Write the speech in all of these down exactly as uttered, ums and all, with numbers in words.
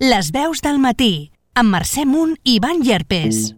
Les veus del matí, amb Mercè Munt i Ivan Llerpes.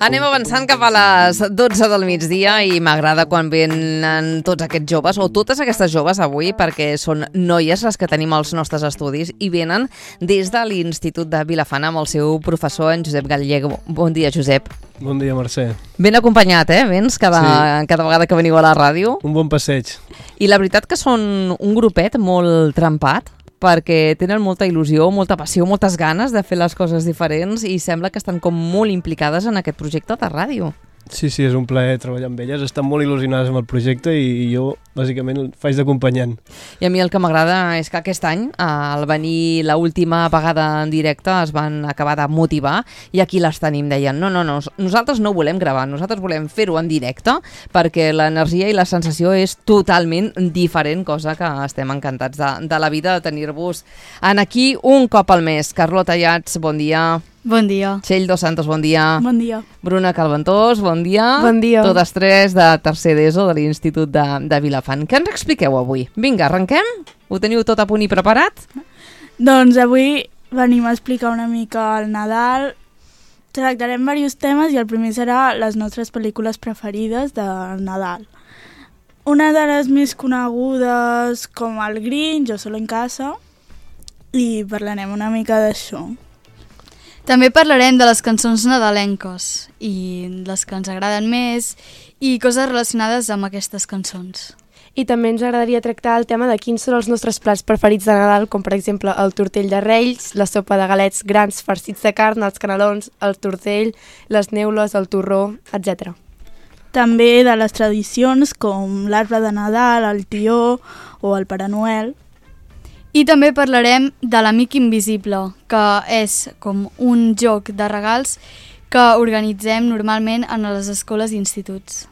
Anem avançant cap a les dotze del migdia i m'agrada quan venen tots aquests joves, o totes aquestes joves avui, perquè són noies les que tenim als nostres estudis i venen des de l'Institut de Vilafant amb el seu professor, en Josep Gallego. Bon dia, Josep. Bon dia, Mercè. Ben acompanyat, eh? Vens cada, sí. cada vegada que veniu a la ràdio. Un bon passeig. I la veritat que són un grupet molt trempat, perquè tenen molta il·lusió, molta passió, moltes ganes de fer les coses diferents i sembla que estan com molt implicades en aquest projecte de ràdio. Sí, sí, és un plaer treballar amb elles. Estan molt il·lusionades amb el projecte i jo, bàsicament, faig d'acompanyant. I a mi el que m'agrada és que aquest any, al venir l'última vegada en directe, es van acabar de motivar i aquí les tenim, deien, no, no, no, nosaltres no volem gravar, nosaltres volem fer-ho en directe perquè l'energia i la sensació és totalment diferent, cosa que estem encantats de, de la vida de tenir-vos en aquí un cop al mes. Carlota Llats, bon dia. Bon dia. Txell Dos Santos, bon dia. Bon dia. Bruna Calventós, bon dia. Bon dia. Totes tres de tercer d'ESO de l'Institut de, de Vilafant. Què ens expliqueu avui? Vinga, arrenquem? Ho teniu tot a punt i preparat? Doncs avui venim a explicar una mica el Nadal. Tractarem diversos temes i el primer serà les nostres pel·lícules preferides del Nadal. Una de les més conegudes com el Grinch o Solo en casa i parlarem una mica d'això. També parlarem de les cançons nadalenques i les que ens agraden més i coses relacionades amb aquestes cançons. I també ens agradaria tractar el tema de quins són els nostres plats preferits de Nadal, com per exemple el tortell de Reis, la sopa de galets grans farcits de carn, els canelons, el tortell, les neules, el torró, etcètera. També de les tradicions com l'arbre de Nadal, el tió o el Pare Noel. I també parlarem de l'Amic Invisible, que és com un joc de regals que organitzem normalment en les escoles i instituts.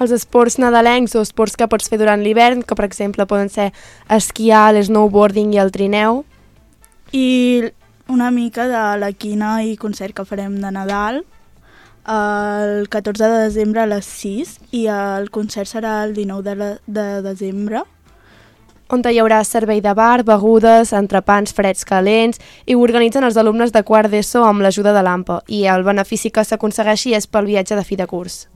Els esports nadalencs o esports que pots fer durant l'hivern, que per exemple poden ser esquiar, l'snowboarding i el trineu. I una mica de la quina i concert que farem de Nadal el catorze de desembre a les sis i el concert serà el dinou de, la, de desembre. On hi haurà servei de bar, begudes, entrepans freds calents i ho organitzen els alumnes de quart d'ESO amb l'ajuda de l'A M P A i el benefici que s'aconsegueixi és pel viatge de fi de curs.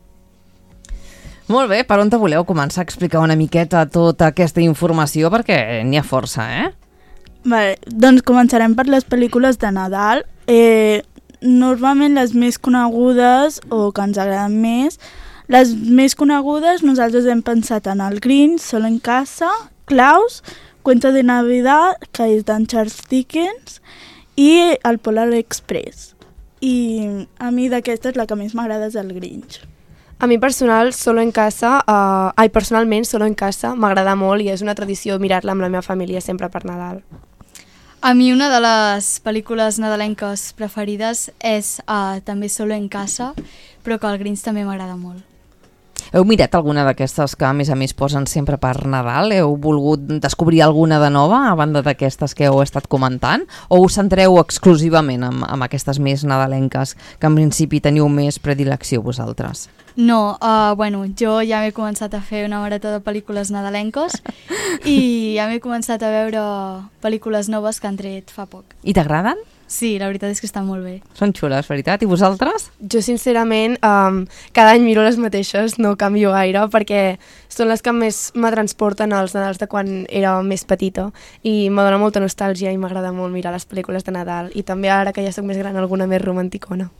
Molt bé, per on te voleu començar a explicar una miqueta tota aquesta informació perquè n'hi ha força, eh? Vale, doncs començarem per les pel·lícules de Nadal. Eh, normalment les més conegudes o que ens agraden més, les més conegudes nosaltres hem pensat en el Grinch, Solo en casa, Klaus, Cuento de Navidad, que és d'en Charles Dickens, i el Polar Express. I a mi d'aquestes la que més m'agrada és el Grinch. A mi personal, solo en casa, uh, ai, personalment, Solo en casa m'agrada molt i és una tradició mirar-la amb la meva família sempre per Nadal. A mi una de les pel·lícules nadalenques preferides és uh, també Solo en casa, però que el Grinch també m'agrada molt. Heu mirat alguna d'aquestes que a més a més posen sempre per Nadal? Heu volgut descobrir alguna de nova a banda d'aquestes que heu estat comentant? O us centreu exclusivament en, en aquestes més nadalenques que en principi teniu més predilecció vosaltres? No, uh, bueno, jo ja m'he començat a fer una marató de pel·lícules nadalenques i ja m'he començat a veure pel·lícules noves que han tret fa poc. I t'agraden? Sí, la veritat és que estan molt bé. Són xules, veritat? I vosaltres? Jo, sincerament, um, cada any miro les mateixes, no canvio gaire, perquè són les que més me transporten als Nadals de quan era més petita i me dona molta nostàlgia i m'agrada molt mirar les pel·lícules de Nadal i també ara que ja soc més gran alguna més romanticona.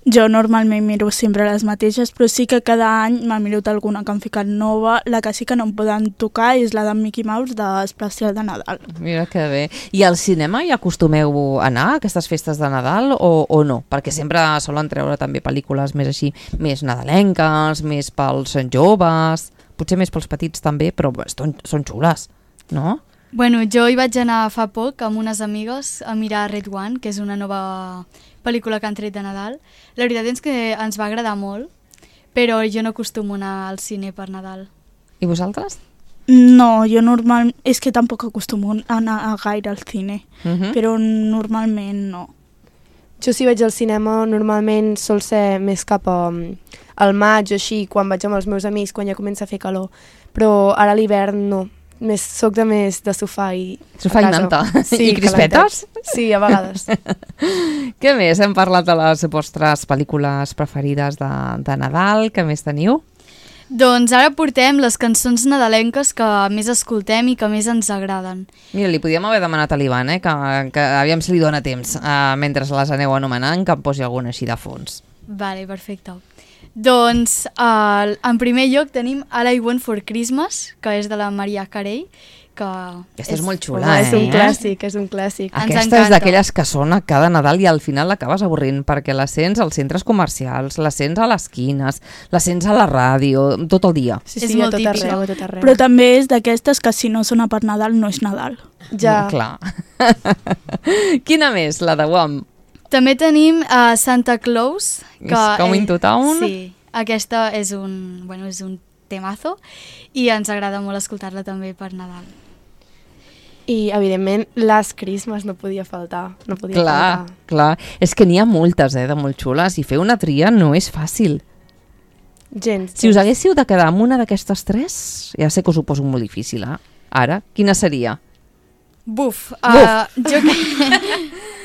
Jo normalment miro sempre les mateixes, però sí que cada any m'ha mirat alguna que han ficat nova. La que sí que no em poden tocar és la de Mickey Mouse d'Especial de Nadal. Mira que bé. I al cinema hi acostumeu a anar a aquestes festes de Nadal o, o no? Perquè sempre solen treure també pel·lícules més així, més nadalenques, més pels joves, potser més pels petits també, però són, són xules, no? Bueno, jo hi vaig anar fa poc amb unes amigues a mirar Red One, que és una nova pel·lícula que han tret de Nadal. La veritat és que ens va agradar molt, però jo no acostumo a anar al cine per Nadal. I vosaltres? No, jo normal... és que tampoc acostumo a anar gaire al cine, uh-huh. però normalment no. Jo si vaig al cinema normalment sol ser més cap a, al maig o així, quan vaig amb els meus amics, quan ja comença a fer calor, però ara a l'hivern no. més, soc de més de sofà i Sofà i manta. I crispetes? Sí, a vegades. Què més? Hem parlat de les vostres pel·lícules preferides de, de Nadal. Què més teniu? Doncs ara portem les cançons nadalenques que més escoltem i que més ens agraden. Mira, li podíem haver demanat a l'Ivan, eh, que, que aviam si li dona temps, eh, mentre les aneu anomenant, que em posi alguna així de fons. Vale, perfecte. Doncs uh, en primer lloc tenim All I Want for Christmas, que és de la Mariah Carey, que Aquesta és, és molt xula, Home, eh? és un clàssic, és un clàssic. Ens Aquesta encanta. és d'aquelles que sona cada Nadal i al final l'acabes avorrint, perquè la sents als centres comercials, la sents a les quines, la sents a la ràdio, tot el dia. Sí, És sí, a molt tot típica. arreu, a tot arreu. Però també és d'aquestes que si no sona per Nadal no és Nadal. Ja. No, clar. Quina més, la de Wham? També tenim uh, Santa Claus. Que Is Coming to Town? Sí, aquesta és un, bueno, és un temazo i ens agrada molt escoltar-la també per Nadal. I, evidentment, Last Christmas no podia faltar. No podia Clar, faltar. clar. És que n'hi ha moltes, eh, de molt xules, i fer una tria no és fàcil. Gens. Si us haguéssiu de quedar amb una d'aquestes tres, ja sé que us ho poso molt difícil, eh? Ara, quina seria? Buf, uh, jo que...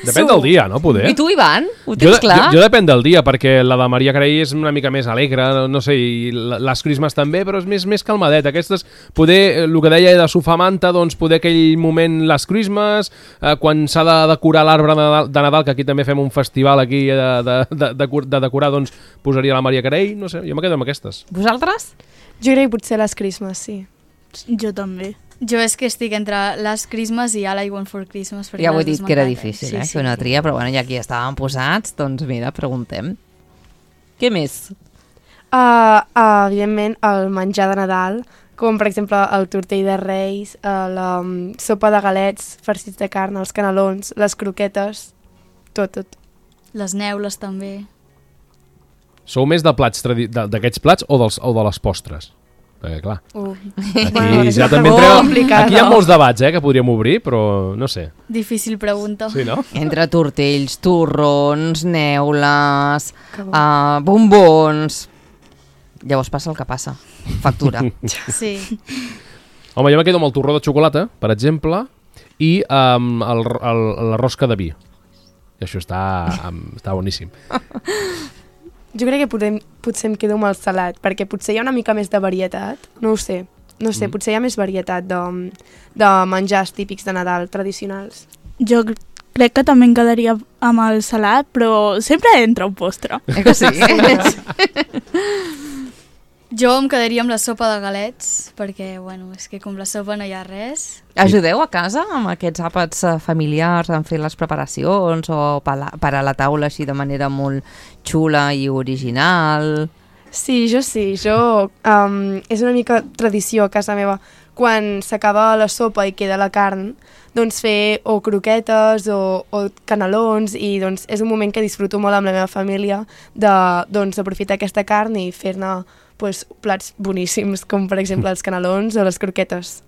Depèn del dia, no? Poder. I tu, Ivan? Ho Jo, tens de- clar? jo, jo depèn del dia, perquè la de Maria Carey és una mica més alegre, no, no sé, i la- les Christmas també, però és més, més calmadet. Aquestes, poder, el que deia de sofà manta, doncs poder aquell moment les Christmas, eh, quan s'ha de decorar l'arbre de Nadal, de Nadal, que aquí també fem un festival aquí de, de, de, de, de decorar, doncs posaria la Maria Carey, no sé, jo me quedo amb aquestes. Vosaltres? Jo crec que potser Last Christmas, sí. Jo també. Jo és que estic entre Last Christmas i All I Want for Christmas. perquè Ja ho he les dit dues que era m'encanten. difícil, Sí, eh, sí, fer una sí. tria, però bueno, ja aquí estàvem posats, doncs mira, preguntem. Què més? Uh, uh, evidentment, el menjar de Nadal, com per exemple el tortell de Reis, uh, la um, sopa de galets, farcits de carn, els canelons, les croquetes, tot, tot. Les neules també. Sou més de plats tradi- de- d'aquests plats o, dels, o de les postres? Perquè, clar, Uh. aquí és ja una també pregunta entreu... complicada. Aquí hi ha molts debats, eh, que podríem obrir, però no sé. Difícil pregunta. Sí, no? Entre tortells, torrons, neules, Que bo. uh, bombons... Llavors passa el que passa. Factura. Sí. Home, jo me quedo amb el torró de xocolata, per exemple, i um, el, el, la rosca de vi. I això està, um, està boníssim. Jo crec que podem, potser em quedo amb el salat, perquè potser hi ha una mica més de varietat, no ho sé. No ho sé, Mm. potser hi ha més varietat de, de menjars típics de Nadal, tradicionals. Jo crec que també em quedaria amb el salat, però sempre entra un postre. Eh que sí? Jo em quedaria amb la sopa de galets, perquè, bueno, és que com la sopa no hi ha res. Ajudeu a casa amb aquests àpats eh, familiars en fer les preparacions o per a, per a la taula així de manera molt xula i original? Sí, jo sí, jo... Um, és una mica tradició a casa meva. Quan s'acaba la sopa i queda la carn, doncs fer o croquetes o, o canelons, i doncs és un moment que disfruto molt amb la meva família de, doncs, aprofitar aquesta carn i fer-ne pues, plats boníssims, com per exemple els canelons o les croquetes.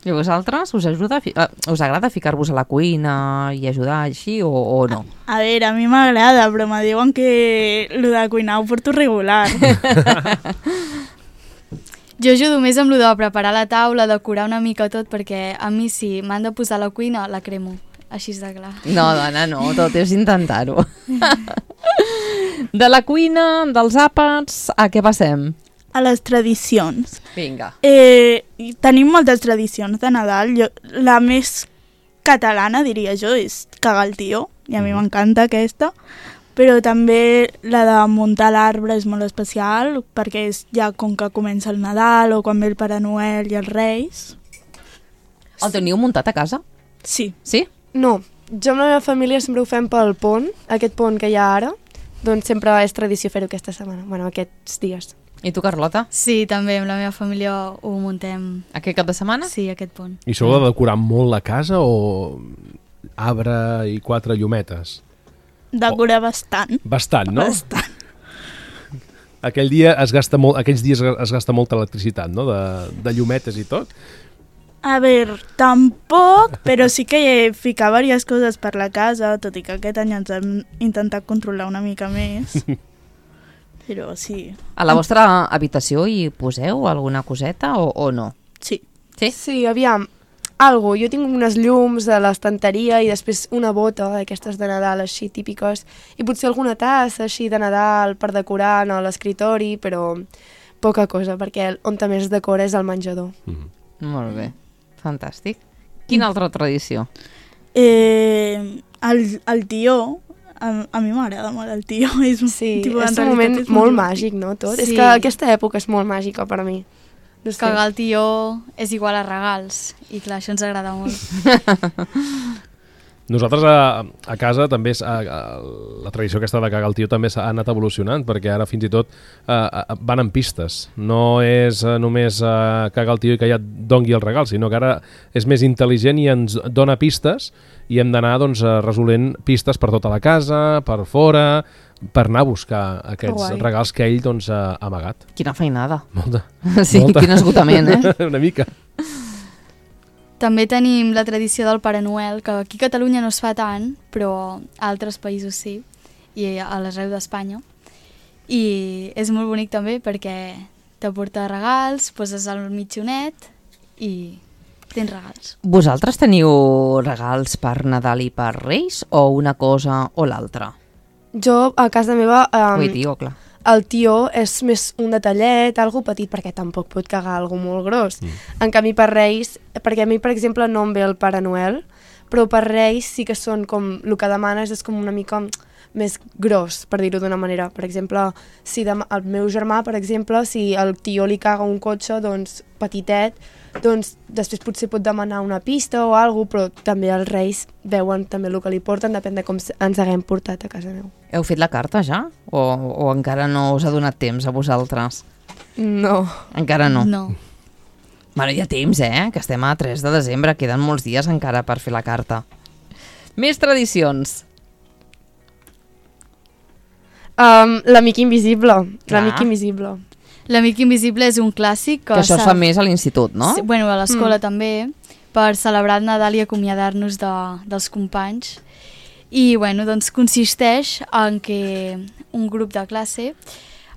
I vosaltres? Us, ajuda a fi uh, us agrada ficar-vos a la cuina i ajudar així o, o no? A veure, a mi m'agrada, però me diuen que lo de cuinar ho porto regular. Jo ajudo més amb lo de preparar la taula, decorar una mica tot, perquè a mi si m'han de posar a la cuina, la cremo. Així és de clar. No, dona, no, tot és intentar-ho. De la cuina, dels àpats, a què passem? A les tradicions. Vinga. Eh, tenim moltes tradicions de Nadal. Jo, la més catalana, diria jo, és cagar el tio, i a mi m'encanta aquesta. Però també la de muntar l'arbre és molt especial, perquè és ja com que comença el Nadal o quan ve el Pare Noel i els Reis. El teniu muntat a casa? Sí. Sí? No, jo amb la meva família sempre ho fem pel pont, aquest pont que hi ha ara, doncs sempre és tradició fer-ho aquesta setmana, bueno, aquests dies. I tu, Carlota? Sí, també amb la meva família ho muntem. Aquest cap de setmana? Sí, aquest pont. I sou de decorar molt la casa o arbre i quatre llumetes? Decorar bastant. Bastant, no? Bastant. Aquell dia es gasta molt, aquells dies es gasta molta electricitat, no? De, de llumetes i tot. A veure, tampoc, però sí que ficar diverses coses per la casa, tot i que aquest any ens hem intentat controlar una mica més. Però sí, A la vostra habitació hi poseu alguna coseta o, o no? sí. Sí? Sí, aviam, algo. Jo tinc unes llums a l'estanteria i després una bota d'aquestes de Nadal així típiques i potser alguna tassa així de Nadal per decorar a l'escritori, però poca cosa, perquè on també es decora és el menjador. Mm. Molt bé, fantàstic. Quina altra tradició? Eh, el, el tió, a, a mi m'agrada molt el tió. És un, Sí, tipus, és en un moment realitat és molt màgic, no, tot? Sí. És que aquesta època és molt màgica per a mi. No sé. Cagar el tió és igual a regals. I clar, això ens agrada molt. Nosaltres a, a casa també és, a, a, la tradició aquesta de cagar el tió també s'ha anat evolucionant, perquè ara fins i tot a, a, van en pistes. No és a, només a cagar el tió i que ja et dongui el regal, sinó que ara és més intel·ligent i ens dona pistes i hem d'anar doncs, resolent pistes per tota la casa, per fora, per anar a buscar aquests Guai. regals que ell doncs, ha amagat. Quina feinada. Molta. Sí, Molta. quin esgotament, eh? Una mica. També tenim la tradició del Pare Noel, que aquí a Catalunya no es fa tant, però a altres països sí, i a l'arreu d'Espanya. I és molt bonic també perquè t'aporta regals, poses el mitjonet i tens regals. Vosaltres teniu regals per Nadal i per Reis o una cosa o l'altra? Jo, a casa meva, um, Ui, tio, clar. el tió és més un detallet, algo petit, perquè tampoc pot cagar algo molt gros. Mm. En canvi, per Reis, perquè a mi, per exemple, no em ve el Pare Noel, però per Reis sí que són com, el que demanes és com una mica més gros, per dir-ho d'una manera. Per exemple, si dem el meu germà, per exemple, si el tió li caga un cotxe, doncs, petitet, doncs després potser pot demanar una pista o alguna cosa, però també els Reis veuen també el que li porten, depèn de com ens haguem portat a casa meu. Heu fet la carta ja? O, o encara no us ha donat temps a vosaltres? No. Encara no? No. Bueno, hi ha temps, eh? Que estem a tres de desembre, queden molts dies encara per fer la carta. Més tradicions. Um, L'amic invisible. Clar. L'amic invisible. L'Amic Invisible és un clàssic que, Que això es s'ha- fa més a l'institut, no? Sí, bueno, a l'escola Mm. també, per celebrar el Nadal i acomiadar-nos de, dels companys. I bueno, doncs consisteix en que un grup de classe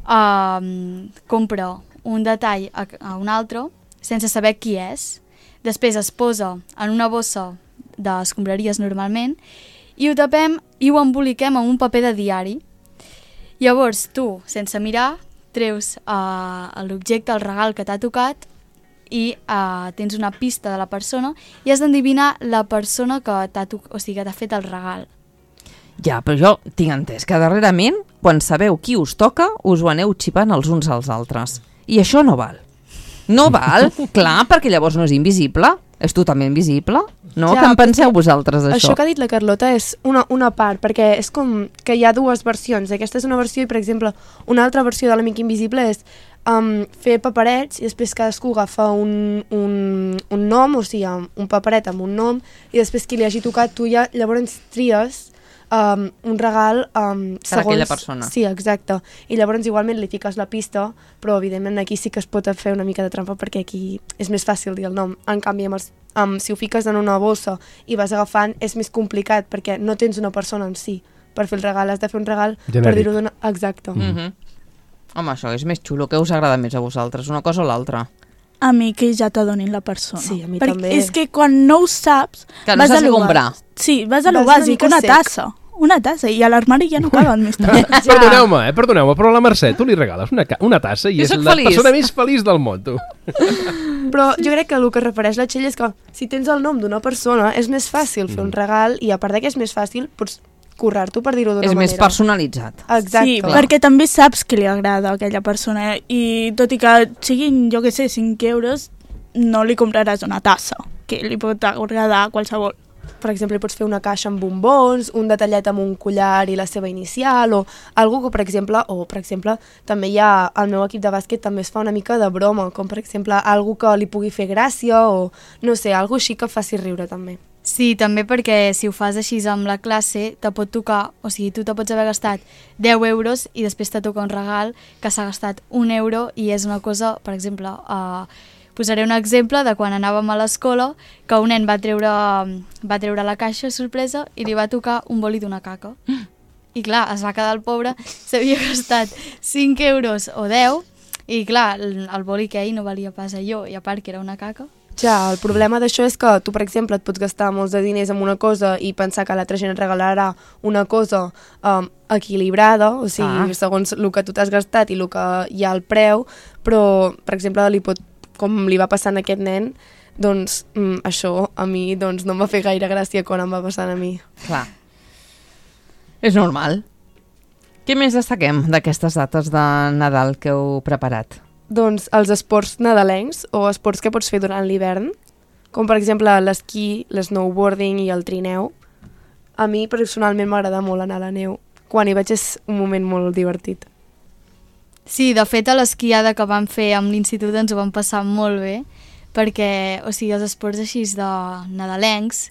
um, compra un detall a, a un altre sense saber qui és. Després es posa en una bossa d'escombraries normalment i ho tapem i ho emboliquem amb un paper de diari. Llavors tu, sense mirar, treus uh, l'objecte, el regal que t'ha tocat i uh, tens una pista de la persona i has d'endevinar la persona que t'ha o sigui, que t'ha fet el regal. Ja, però jo tinc entès que darrerament, quan sabeu qui us toca, us ho aneu xipant els uns als altres. I això no val. No val, clar, perquè llavors no és invisible, és totalment visible. No? Ja, Què en penseu vosaltres d'això? Això que ha dit la Carlota és una, una part, perquè és com que hi ha dues versions. Aquesta és una versió i, per exemple, una altra versió de l'Amic Invisible és um, fer paperets i després cadascú agafa un, un, un nom, o sigui, un paperet amb un nom, i després qui li hagi tocat tu ja llavors tries um, un regal um, Per segons... aquella persona. Sí, exacte. I llavors igualment li fiques la pista, però evidentment aquí sí que es pot fer una mica de trampa perquè aquí és més fàcil dir el nom. En canvi, amb els Um, si ho fiques en una bossa i vas agafant, és més complicat perquè no tens una persona en si per fer el regal, has de fer un regal Genèric. per dir-ho d'una... Exacte. Mm -hmm. Home, això és més xulo. Què us agrada més a vosaltres, una cosa o l'altra? A mi que ja t'adonin la persona. Sí, a mi Perquè també. és que quan no ho saps... Que no vas saps a lo què comprar. bàsic. Sí, vas a Vas lo una bàsic, mica una sec. tassa. Una tassa, i a l'armari ja no caben més tasses. Ja. Perdoneu-me, eh? Perdoneu-me, però a la Mercè tu li regales una, ca- una tassa i Jo és soc la feliç. persona més feliç del món, tu. Però jo crec que el que es refereix la Txell és que si tens el nom d'una persona és més fàcil fer un regal i a part de que és més fàcil, pots currar-t'ho per dir-ho d'una És manera. més personalitzat. Exacte. Sí, perquè també saps que li agrada a aquella persona i tot i que siguin, jo què sé, cinc euros, no li compraràs una tassa, que li pot agradar a qualsevol. Per exemple, pots fer una caixa amb bombons, un detallet amb un collar i la seva inicial, o algo que, per exemple, o per exemple, també hi ha, al meu equip de bàsquet també es fa una mica de broma, com per exemple, algo que li pugui fer gràcia, o no sé, algo així que faci riure també. Sí, també perquè si ho fas així amb la classe, te pot tocar, o sigui, tu te pots haver gastat deu euros i després te toca un regal que s'ha gastat un euro i és una cosa, per exemple, uh, posaré un exemple de quan anàvem a l'escola que un nen va treure, va treure la caixa sorpresa i li va tocar un boli d'una caca. I clar, es va quedar el pobre, s'havia gastat cinc euros o deu i clar, el, el boli que ell no valia pas allò i a part que era una caca, Ja, el problema d'això és que tu, per exemple, et pots gastar molts de diners en una cosa i pensar que l'altra gent et regalarà una cosa um, equilibrada, o sigui, ah. segons el que tu t'has gastat i el que hi ha al preu, però, per exemple, li pot, com li va passar a aquest nen, doncs mm, això a mi doncs, no em va fer gaire gràcia quan em va passar a mi. Clar. És normal. Què més destaquem d'aquestes dates de Nadal que heu preparat? Doncs els esports nadalencs o esports que pots fer durant l'hivern, com per exemple l'esquí, l'snowboarding i el trineu. A mi personalment m'agrada molt anar a la neu. Quan hi vaig és un moment molt divertit. Sí, de fet a l'esquiada que vam fer amb l'institut ens ho vam passar molt bé, perquè o sigui, els esports així de nadalencs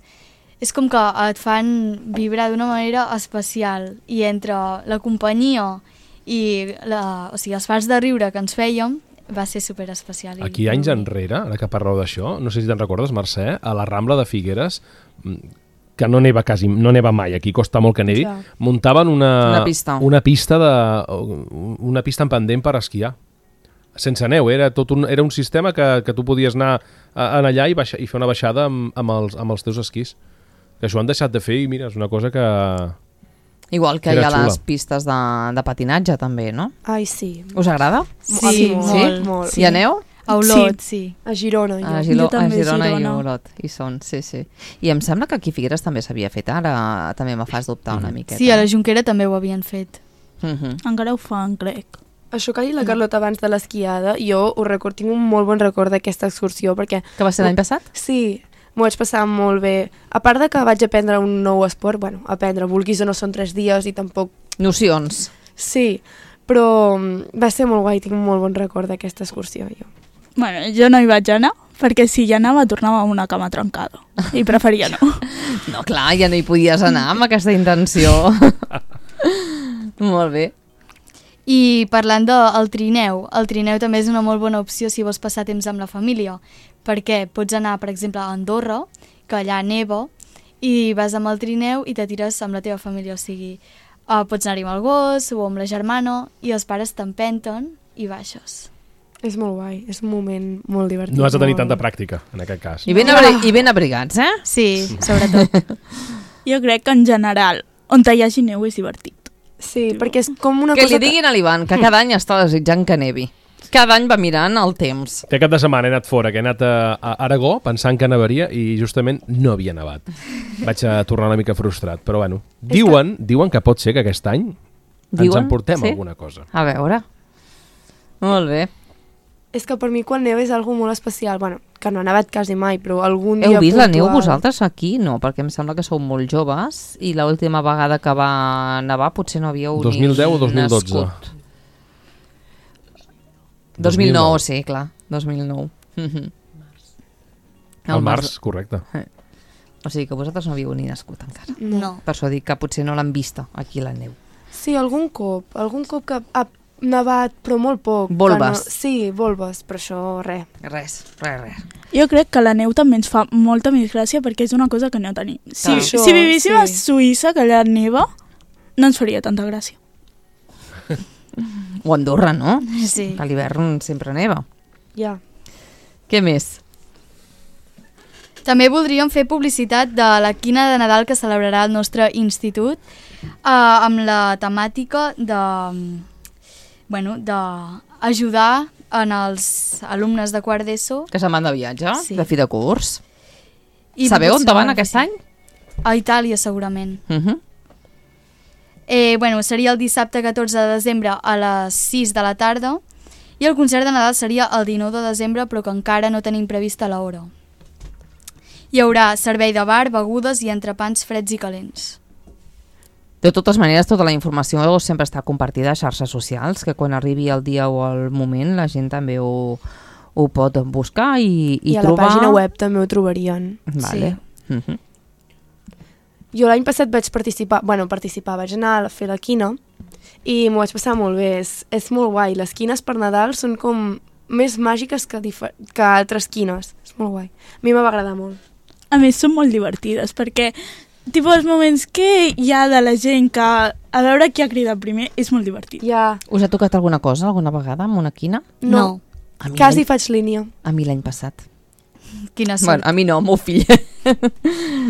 és com que et fan vibrar d'una manera especial i entre la companyia i la, o sigui, els farts de riure que ens fèiem va ser superespecial. Aquí anys enrere, ara que parleu d'això, no sé si te'n recordes, Mercè, a la Rambla de Figueres, que no neva quasi, no neva mai, aquí costa molt que nevi, ja. muntaven una, una pista, una pista, de, una pista en pendent per esquiar. Sense neu, era, tot un, era un sistema que, que tu podies anar a, a allà i, baixa, i fer una baixada amb, amb, els, amb els teus esquís. Que això han deixat de fer i mira, és una cosa que... Igual que hi ha xula. Les pistes de, de patinatge també, no? Ai, sí. Us agrada? Sí, sí molt. Sí? molt. Sí. Hi aneu? A Olot, sí. sí. A Girona. Jo. A, Gilo, jo també a Girona, Girona i Olot. Hi són, sí, sí. I em sembla que aquí a Figueres també s'havia fet, ara també me fas dubtar una miqueta. Sí, a la Jonquera també ho havien fet. Uh-huh. Encara ho fan, crec. Això que ha dit la Carlota abans de l'esquiada, jo ho record, tinc un molt bon record d'aquesta excursió, perquè... Que va ser l'any passat? Sí, m'ho vaig passar molt bé. A part de que vaig aprendre un nou esport, bueno, aprendre, vulguis o no són tres dies i tampoc... Nocions. Sí, però va ser molt guai, tinc un molt bon record d'aquesta excursió, jo. Bueno, jo no hi vaig anar, perquè si hi anava tornava amb una cama trencada, i preferia no. No, clar, ja no hi podies anar amb aquesta intenció. Molt bé. I parlant del trineu, el trineu també és una molt bona opció si vols passar temps amb la família, perquè pots anar, per exemple, a Andorra, que allà neva, i vas amb el trineu i te tires amb la teva família, o sigui, uh, pots anar-hi amb el gos o amb la germana i els pares t'empenten i baixes. És molt guai, és un moment molt divertit. No has de tenir molt... tanta pràctica, en aquest cas. I ben, abri I ben abrigats, eh? Sí, sobretot. Jo crec que en general, on hi hagi neu és divertit. Sí, perquè és com una que cosa... Que li diguin a l'Ivan, que cada any està desitjant que nevi. Cada any va mirant el temps. Té cap de setmana he anat fora, que he anat a, a Aragó pensant que nevaria i justament no havia nevat. Vaig a tornar una mica frustrat, però bueno. Diuen, que... diuen que pot ser que aquest any diuen? ens emportem sí? alguna cosa. A veure. Molt bé. És que per mi quan neva és algo molt especial, bueno, que no ha nevat quasi mai, però algun dia Heu vist puntual... la neu vosaltres aquí? No, perquè em sembla que sou molt joves i l'última vegada que va nevar potser no havíeu dos mil deu o dos mil dotze? dos mil nou, sí, clar, dos mil nou. El, el març, març, correcte. O sigui que vosaltres no havíeu ni nascut encara. No. Per això dic que potser no l'han vista aquí la neu. Sí, algun cop, algun cop que ha nevat, però molt poc. Volves. No... Sí, volves, però això res. Res, res, res. Jo crec que la neu també ens fa molta més gràcia perquè és una cosa que no tenim. Si, ah, això, si vivíssim sí. a Suïssa, que allà neva, no ens faria tanta gràcia. O Andorra, no? Sí. Que a l'hivern sempre neva. Ja. Què més? També voldríem fer publicitat de la quina de Nadal que celebrarà el nostre institut eh, amb la temàtica de, bueno, d'ajudar en els alumnes de quart d'ESO. Que se'n van de viatge, sí. de fi de curs. I sabeu on van aquest sí. any? A Itàlia, segurament. Uh -huh. eh, bueno, seria el dissabte catorze de desembre a les sis de la tarda i el concert de Nadal seria el dinou de desembre, però que encara no tenim prevista l'hora. Hi haurà servei de bar, begudes i entrepans freds i calents. De totes maneres, tota la informació sempre està compartida a xarxes socials, que quan arribi el dia o el moment la gent també ho, ho pot buscar i, i, I a trobar... la pàgina web també ho trobarien. Vale. Sí. Uh-huh. Jo l'any passat vaig participar, bueno, participar, vaig anar a fer la quina i m'ho vaig passar molt bé, és, és molt guai. Les quines per Nadal són com més màgiques que, que altres quines, és molt guai. A mi m'ha agradar molt. A més, són molt divertides, perquè tipus els moments que hi ha de la gent que a veure qui ha cridat primer és molt divertit. Ja. Us ha tocat alguna cosa alguna vegada amb una quina? No, a mi quasi faig línia. A mi l'any passat. Quina sort. Bueno, a mi no, al meu fill.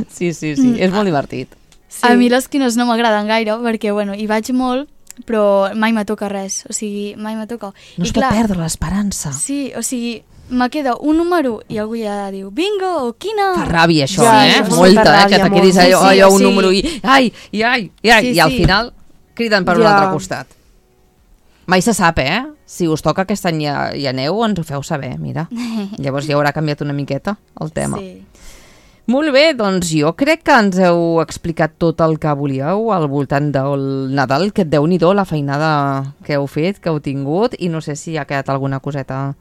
Sí, sí, sí, és molt divertit. Sí. A mi les quines no m'agraden gaire perquè, bueno, hi vaig molt, però mai me toca res, o sigui, mai me toca. No I es pot perdre l'esperança. Sí, o sigui, me queda un número i algú ja diu bingo o quina... Fa ràbia això, Ja, eh? això fa Molta, molta eh? Que ràbia, te quedis molt. allò, Sí, sí, allò un sí. número i ai, i ai, i ai, Sí, i al sí. final criden per un Ja. altre costat. Mai se sap, eh? Si us toca aquest any ja, ja aneu, ens ho feu saber, mira. Llavors ja haurà canviat una miqueta el tema. Sí. Molt bé, doncs jo crec que ens heu explicat tot el que volíeu al voltant del Nadal, que déu-n'hi-do la feinada que heu fet, que heu tingut, i no sé si ha quedat alguna coseta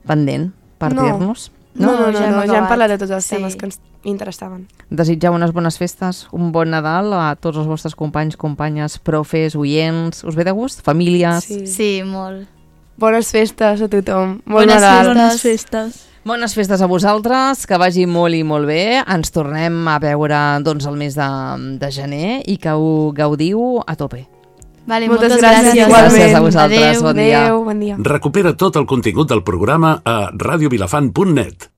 pendent per No. dir-nos. No, no, no, ja hem no, ja hem acabat. parlat de tots els Sí. temes que ens interessaven. Desitjar unes bones festes, un bon Nadal a tots els vostres companys, companyes, profes, oients. Us ve de gust? Famílies? Sí. Sí, molt. Bones festes a tothom. Bon Bones Nadal. festes. Bones festes. Bones festes a vosaltres, que vagi molt i molt bé. Ens tornem a veure doncs, el mes de, de gener i que ho gaudiu a tope. Vale, Moltes moltes, gràcies, gràcies. igualment. Gràcies a vosaltres, Adéu. bon dia. Adéu, bon dia. Recupera tot el contingut del programa a radiovilafant punt net.